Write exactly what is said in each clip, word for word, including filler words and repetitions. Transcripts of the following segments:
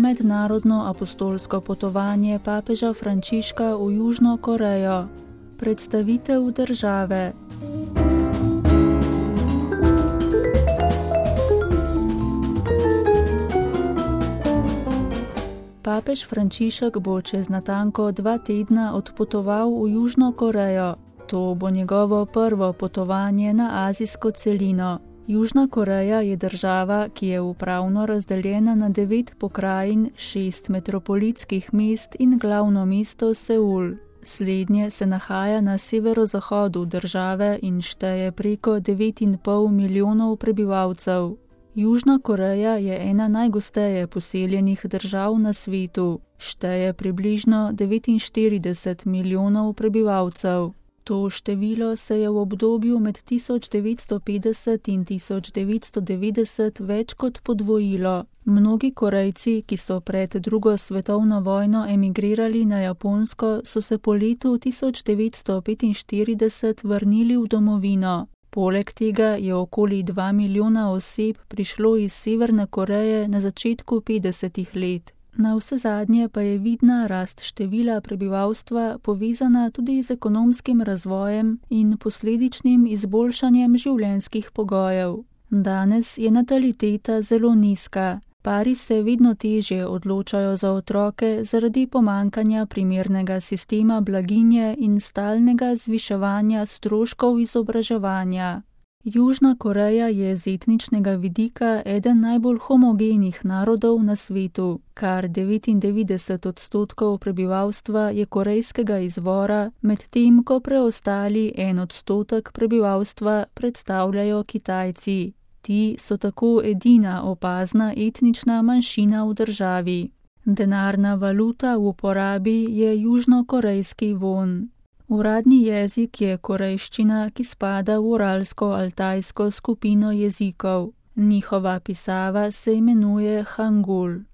mednarodno apostolsko potovanje papeža Frančiška v Južno Korejo. Predstavitev države. Papež Frančišek bo čez natanko dva tedna odpotoval v Južno Korejo. To bo njegovo prvo potovanje na azijsko celino. Južna Koreja je država, ki je upravno razdeljena na devet pokrajin, šest metropolitskih mest in glavno mesto Seul. Slednje se nahaja na severozahodu države in šteje preko devet in pol milijonov prebivalcev. Južna Koreja je ena najgosteje poseljenih držav na svetu. Šteje približno devetinštirideset milijonov prebivalcev. To število se je v obdobju med tisoč devetsto petdeset in tisoč devetsto devetdeset več kot podvojilo. Mnogi Korejci, ki so pred drugo svetovno vojno emigrirali na Japonsko, so se po letu tisoč devetsto petinštirideset vrnili v domovino. Poleg tega je okoli dva milijona oseb prišlo iz Severne Koreje na začetku petdesetih let. Na vse zadnje pa je vidna rast števila prebivalstva povezana tudi z ekonomskim razvojem in posledičnim izboljšanjem življenjskih pogojev. Danes je nataliteta zelo nizka. Pari se vedno težje odločajo za otroke zaradi pomankanja primernega sistema blaginje in stalnega zviševanja stroškov izobraževanja. Južna Koreja je z etničnega vidika eden najbolj homogenih narodov na svetu. Kar devetindevetdeset odstotkov prebivalstva je korejskega izvora, medtem ko preostali en odstotek prebivalstva predstavljajo Kitajci. Ti so tako edina opazna etnična manjšina v državi. Denarna valuta v uporabi je južnokorejski won. Uradni jezik je korejščina, ki spada v uralsko-altajsko skupino jezikov. Njihova pisava se imenuje hangul.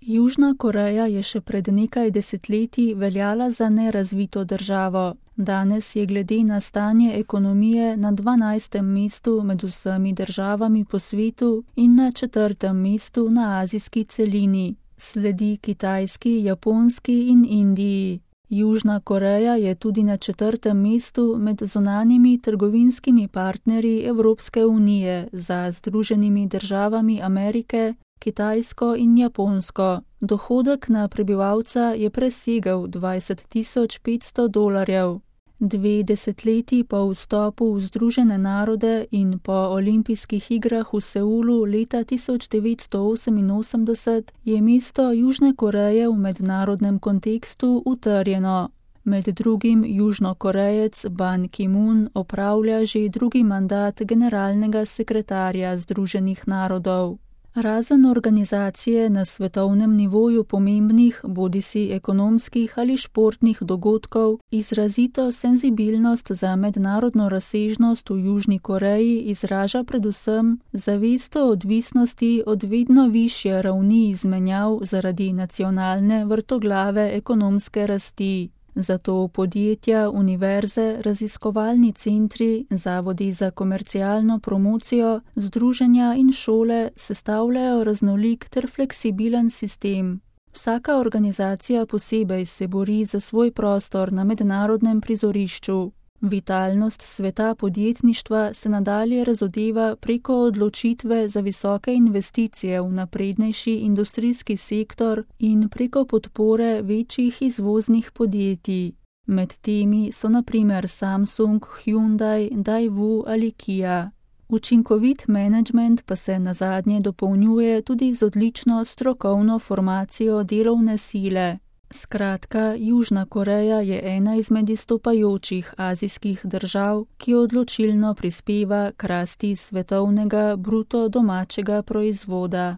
Južna Koreja je še pred nekaj desetletji veljala za nerazvito državo. Danes je glede na stanje ekonomije na dvanajstem mestu med vsemi državami po svetu in na četrtem mestu na azijski celini. Sledi Kitajski, Japonski in Indiji. Južna Koreja je tudi na četrtem mestu med zunanjimi trgovinskimi partnerji Evropske unije za Združenimi državami Amerike, Kitajsko in Japonsko. Dohodek na prebivalca je presegel dvajset tisoč petsto dolarjev. Dve desetletji po vstopu v Združene narode in po olimpijskih igrah v Seulu leta tisoč devetsto oseminosemdeset je mesto Južne Koreje v mednarodnem kontekstu utrjeno. Med drugim Južnokorejec Ban Ki-moon opravlja že drugi mandat generalnega sekretarja Združenih narodov. Razen organizacije na svetovnem nivoju pomembnih, bodisi ekonomskih ali športnih dogodkov, izrazito senzibilnost za mednarodno razsežnost v Južni Koreji izraža predvsem zavest o odvisnosti od vedno višje ravni izmenjav zaradi nacionalne vrtoglave ekonomske rasti. Zato podjetja, univerze, raziskovalni centri, zavodi za komercialno promocijo, združenja in šole sestavljajo raznolik ter fleksibilen sistem. Vsaka organizacija posebej se bori za svoj prostor na mednarodnem prizorišču. Vitalnost sveta podjetništva se nadalje razodeva preko odločitve za visoke investicije v naprednejši industrijski sektor in preko podpore večjih izvoznih podjetij. Med temi so na primer Samsung, Hyundai, Daewoo ali Kia. Učinkovit menedžment pa se nazadnje dopolnjuje tudi z odlično strokovno formacijo delovne sile. Skratka, Južna Koreja je ena izmed izstopajočih azijskih držav, ki odločilno prispeva k rasti svetovnega bruto domačega proizvoda.